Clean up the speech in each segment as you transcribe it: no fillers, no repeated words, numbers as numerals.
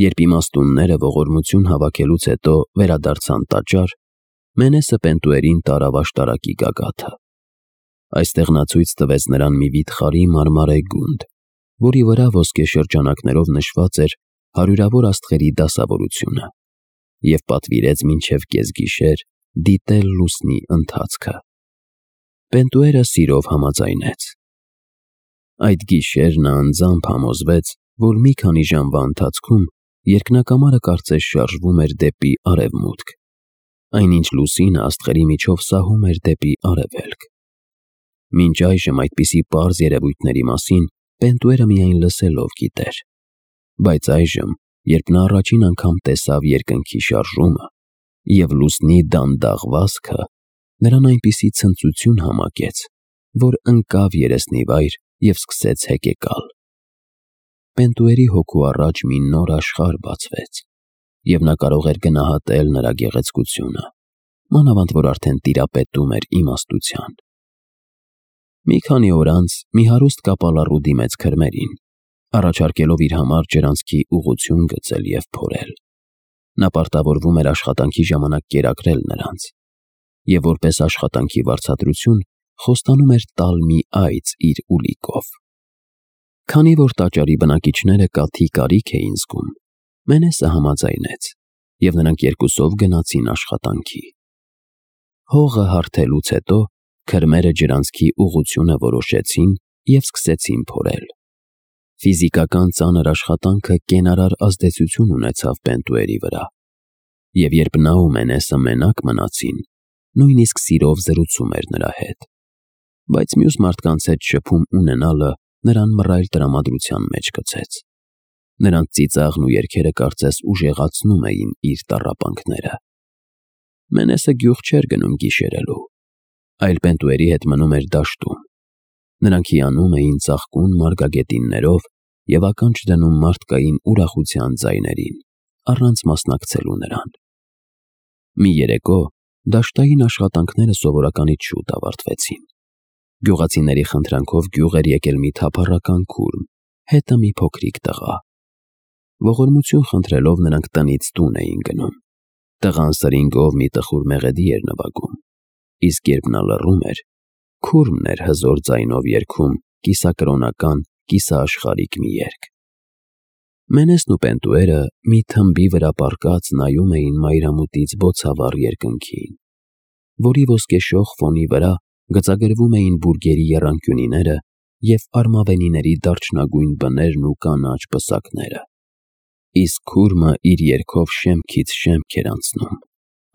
Երբ իմաստունները ողորմություն հավաքելուց հետո վերադարձան տաճար, Մենեսը Պենտուերին տարավ աշտարակի գագաթը։ Այստեղ նա ցույց տվեց նրան մի վիթխարի մարմարե գունդ, որի վրա ոսկե շրջանակներով նշված էր հարյուրավոր աստղերի դասավորությունը, և պատվիրեց մինչև կեսգիշեր դիտել լուսնի ընթացքը։ Պենտուերը սիրով համաձայնեց։ Այդ գիշեր նա անձամբ համոզվեց, որ մի քանի ժամվա ընթացքում երկնակամարը կարծես շարժվում էր դեպի արևմուտք, այնինչ լուսինը աստղերի միջով սահում էր դեպի արևելք։ Մինչ այժմ այդպիսի պարզ երևույթների մասին Պենտուերը միայն լսելով գիտեր, բայց այժմ, երբ նա առաջին անգամ տեսավ երկնքի շարժումը և լուսնի դանդաղ վազքը, նրան այնպիսի ցնծություն համակեց, որ ընկավ երեսնիվայր և սկսեց հեկեկալ։ Պենտուերի հոգու առաջ մի նոր աշխարհ բացվեց, և նա կարող էր գնահատել նրա գեղեցկությունը, մանավանդ որ արդեն տիրապետում էր իմաստության։ Մի քանի օր անց մի հարուստ կապալառու դիմեց քրմերին, առաջարկելով իր համար ջրանցքի ուղղություն գծել և փորել։ Նա պարտավորվում էր աշխատանքի ժամանակ կերակրել նրանց, և որպես աշխատանքի վարձատրություն խոստանում էր տալ մի այծ իր ուլիկով։ Քանի որ տաճարի բնակիչները կաթի կարիք էին զգում, Մենեսը համաձայնեց, և նրանք երկուսով գնացին աշխատանքի։ Հողը հարթելուց հետո քրմերը ջրանցքի ուղղությունը որոշեցին և սկսեցին փորել։ Ֆիզիկական ծանր աշխատանքը կենարար ազդեցություն ունեցավ Պենտուերի վրա, և երբ նա ու Մենեսը մենակ մնացին, նույնիսկ սիրով զրուցում էր նրա հետ, բայց մյուս մարդկանց հետ շփում ունենալը նրան մռայլ տրամադրության մեջ գցեց։ Նրանց ծիծաղն ու երգերը կարծես ուժեղացնում էին իր տառապանքները։ Մենեսը գյուղ չէր գնում գիշերելու, այլ Պենտուերի հետ մնում էր դաշտում։ Նրանք հիանում էին ծաղկուն մարգագետիններով և ականջ դնում մարդկային ուրախության ձայներին, առանց մասնակցելու նրան։ Մի երեկո դաշտային աշխատանքները սովորականից շուտ ավարտվեցին։ Գյուղացիների խնդրանքով գյուղ էր եկել մի թափառական քուրմ, հետը մի փոքրիկ տղա։ Ողորմություն խնդրելով նրանք տնից տուն էին գնում։ Տղան սրինգով մի տխուր մեղեդի էր նվագում, իսկ երբ նա լռում էր, քուրմն էր հզոր ձայնով երգում կիսակրոնական, կիսաաշխարհիկ մի երգ։ Մենեսն ու Պենտուերը մի թմբի վրա պառկած նայում էին մայրամուտից բոցավառ երկնքին, որի ոսկեշող ֆոնի վրա գծագրվում էին բուրգերի եռանկյունիները և արմավենիների դարչնագույն բներն ու կանաչ պսակները։ Իսկ քուրմը իր երգով շեմքից շեմք էր անցնում,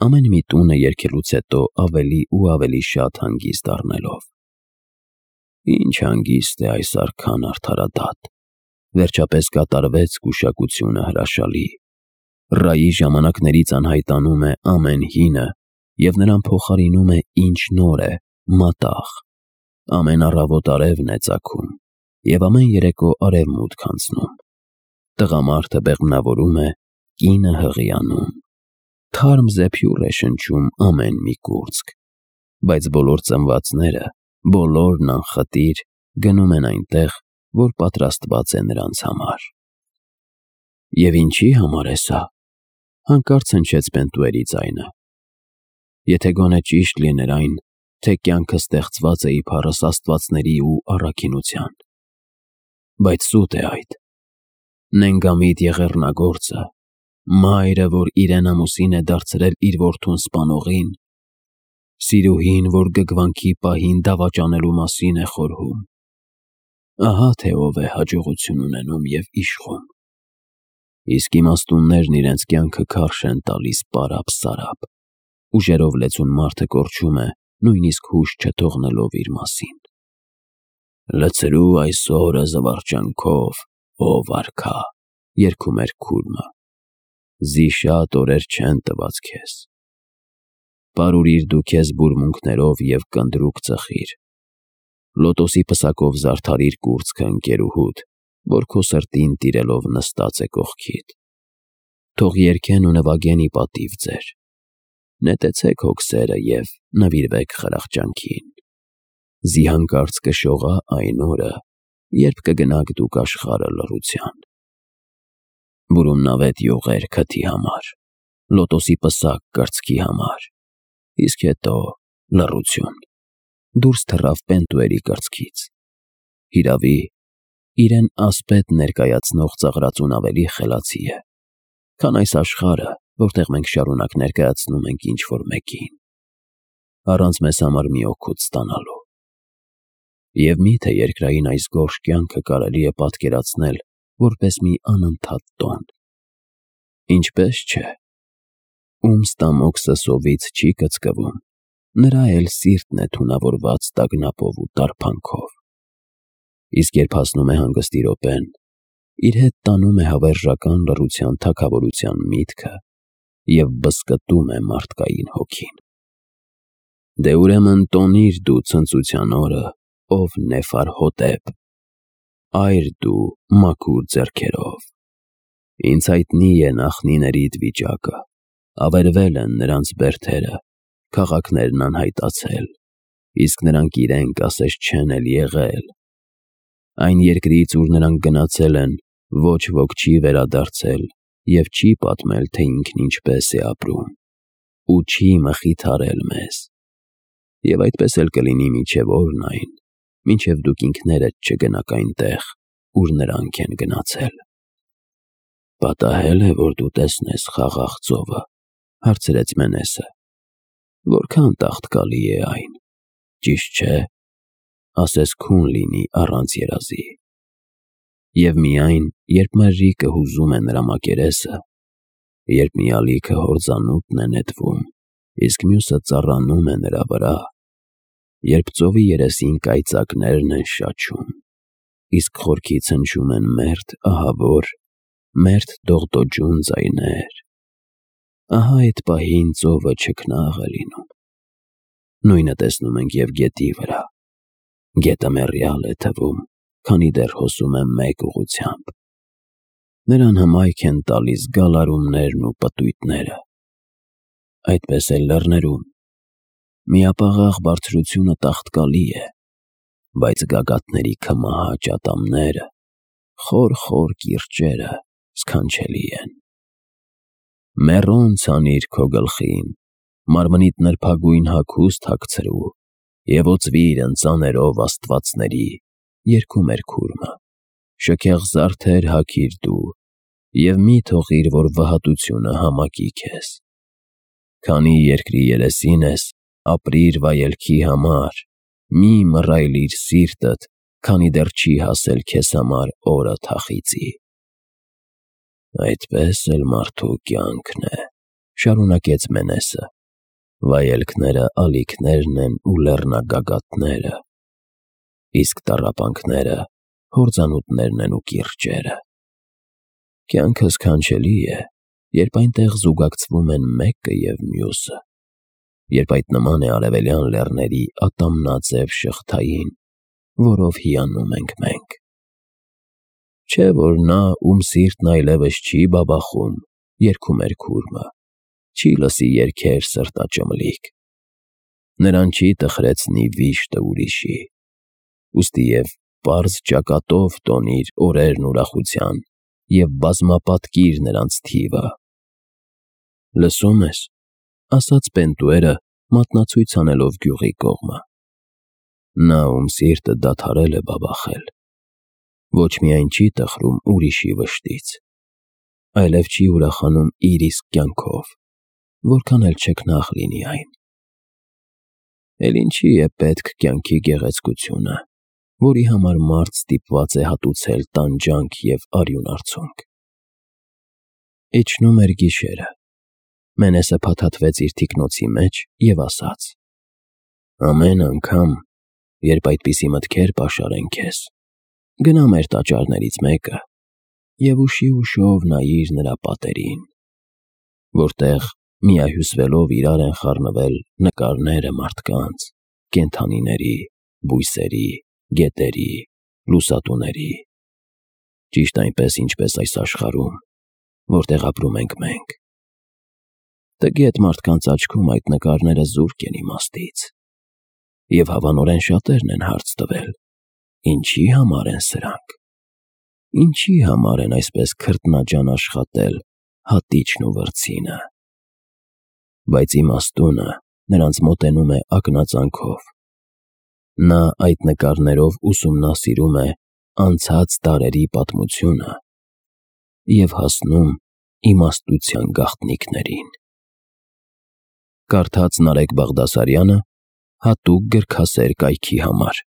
ամեն մի տունը երգելուց հետո ավելի ու ավելի շատ հանգիստ առնելով։ Ինչ հանգիստ է այս արքան արդարադատ, վերջապես կատարվեց գուշակությունը հրաշալի։ Ռայի ժամանակներից անհայտանում է ամեն հինը և նրան փոխարինում է ինչ նոր է, մատաղ։ Ամեն առավոտ արևն է ծագում և ամեն երեկո արևմուտք անցնում։ Տղամարդը բեղմնավորում է, կինը հղիանում։ Թարմ զեփյուռ է շնչում ամեն մի կուրծք, բայց բոլոր ծնվածները, բոլորն անխտիր գնում են այնտեղ, որ պատրաստված է նրանց համար։ Եվ ինչի համար է սա, հանկարծ հնչեց Պենտուերի ձայնը։ Եթե գոնե ճիշտ լիներ այն, թե կյանքը ստեղծված է իբարս աստվածների ու առաքինության։ Բայց սուտ է այդ։ Նենգամիտ եղեռնագործը, մայրը, որ իրեն ամուսին է դարձրել իր որդուն սպանողին, սիրուհին, որ գգվանքի պահին դավաճանելու մասին է խորհում։ Ահա թե ով է հաջողություն ունենում և իշխում։ Իսկ իմաստուններն իրենց կյանքը քարշ են տալիս պարապ-սարապ, ուժերով լեցուն մարդը կորչում է, նույնիսկ հուշ չթողնելով իր մասին։ Լցրու այս օրը զվարճանքով, ով արքա, երգում էր քուրմը։ Զիշատ օրեր չեն տված քեզ։ Պարուրիր դու քեզ բուրմունքներով և կնդրուկ ծխիր։ Լոտոսի պսակով զարդարիր կուրծքը ընկերուհուդ, որ քո սրտին տիրելով նստած է կողքիդ։ Թող երգեն ու նվագեն ի պատիվ ձեր։ Նետեցեք հոգսերը և նվիրվեք խրախճանքին։ Զի հանկարծ կշողա այն օրը, երբ կգնաք դուք աշխարհը լռության։ բուրումնավետ յուղեր քթի համար, լոտոսի պսակ կրծքի համար, իսկ հետո լռություն, դուրս թռավ Պենտուերի կրծքից, հիրավի, իրեն ասպետ ներկայացնող ծաղրածուն ավելի խելացի է, քան այս աշխարհը, որտեղ մենք շարունակ ներկայացնում ենք ինչ-որ մեկին, առանց մեզ համար մի օգուտ ստանալու։ Եվ միթե երկրային այս գորշ կյանքը կարելի է պատկերացնել որպես մի անընդհատ տոն։ Ինչպես չէ, ում ստամոքսը սովից չի կծկվում, նրա էլ սիրտն է թունավորված տագնապով ու տարփանքով։ Իսկ երբ հասնում է հանգստի րոպեն, իր հետ տանում է հավերժական լռության թագավորության միտքը և բզկտում է մարդկային հոգին։ Դե ուրեմն տոնիր դու ցնծության օրը, ով Նեֆարհոտեպ, այր դու մաքուր ձեռքերով։ Ինձ հայտնի է նախնիներիդ վիճակը, ավերվել են նրանց բերդերը, քաղաքներն անհայտացել, իսկ նրանք իրենք ասես չեն էլ եղել։ Այն երկրից, ուր նրանք գնացել են, ոչ ոք չի վերադարձել և չի պատմել, թե ինքն ինչպես է ապրում, ու չի մխիթարել մեզ։ Եվ այդպես էլ կլինի մինչև օրն այն, մինչև դուք ինքներդ չգնաք այնտեղ, ուր նրանք են գնացել։ Պատահել է, որ դու տեսնես խաղաղ ծովը, հարցրեց Մենեսը։ Որքան տաղտկալի է այն, ճիշտ չէ, ասես քուն լինի առանց երազի։ Եվ միայն, երբ մերրիկը հուզում է նրա մակերեսը, երբ մի ալիքը հորձանուտն է նետվում, իսկ մյուսը ծառանում է նրա վրա, երբ ծովի երեսին կայծակներն են շաչում, իսկ խորքից հնչում են մերթ ահավոր, մերթ դողդոջուն ձայներ, ահա այդ պահին ծովը չքնաղ է լինում։ Նույնը տեսնում ենք և գետի վրա։ Գետը մեռյալ է թվում, քանի դեռ հոսում է մեկ ուղղությամբ։ Նրան հմայք են տալիս գալարումներն ու պտույտները։ Այդպես էլ լեռներում։ Միապաղաղ բարձրությունը տաղտկալի է, բայց գագաթների քմահաճ ատամները, խոր կիրճերը սքանչելի են։ Մեռոն ցանիր քո գլխին, մարմնիդ նրբագույն հագուստ հագցրու և օծվիր ընծաներով աստվածների, երգում էր քուրմը, շքեղ զարդեր հագիր դու և մի թողիր, որ վհատությունը համակի քեզ։ Քանի երկրի երեսին ես, ապրիր վայելքի համար, մի մռայլիր սիրտդ, քանի դեռ չի հասել քեզ համար օրը թախիծի։ Այդպես էլ մարդու կյանքն է, շարունակեց Մենեսը, վայելքները ալիքներն են ու լեռնագագաթները, իսկ տառապանքները հորձանուտներն են ու կիրճերը։ Կյանքը սքանչելի է, երբ այնտեղ զուգակցվում են մեկը և մյուսը, երբ այդ նման է արևելյան լեռների ատամնաձև շղթային, որով հիանում ենք մենք։ Չէ՞ որ նա, ում սիրտն այլևս չի բաբախում, երգում էր քուրմը, չի լսի երգեր սրտաճմլիկ։ Նրան չի տխրեցնի վիշտը ուրիշի, ուստի և պարզ ճակատով տոնիր օրերն ուրախության և բազմապատկիր նրանց թիվը։ Լսո՞ւմ ես, ասաց Պենտուերը, մատնացույց անելով գյուղի կողմը։ Նա, ում սիրտը դադարել է բաբախել, ոչ միայն չի տխրում ուրիշի վշտից, այլև չի ուրախանում իր իսկ կյանքով, որքան էլ չքնաղ լինի այն։ Էլ ինչի է պետք կյանքի գեղեցկությունը, որի համար մարդ ստիպված է հատուցել տանջանք և արյուն արցունք։ Իջնում էր գիշերը։ Մենեսը փաթաթվեց իր թիկնոցի մեջ և ասաց. ամեն անգամ, երբ այդպիսի մտքեր պաշարեն քեզ, գնա մեր տաճարներից մեկը և ուշիով նայիր նրա պատերին, որտեղ միահյուսվելով իրար են խառնվել նկարները մարդկանց, կենդանիների, բույսերի, գետերի, լուսատուների, ճիշտ այնպես, ինչպես այս աշխարհում, որտեղ ապրում ենք մենք։ Տգետ մարդկանց աչքում այդ նկարները զուրկ են իմաստից, և հավանորեն շատերն են հարց տվել. ինչի համար են սրանք։ Ինչի համար են այսպես քրտնաջան աշխատել հատիչն ու վրձինը։ Բայց իմաստունը նրանց մոտենում է ակնածանքով։ Նա այդ նկարներով ուսումնասիրում է անցած դարերի պատմությունը և հասնում իմաստության գաղտնիքներին։ Կարդաց Նարեկ Բաղդասարյանը հատուկ գրքասեր կայքի համար։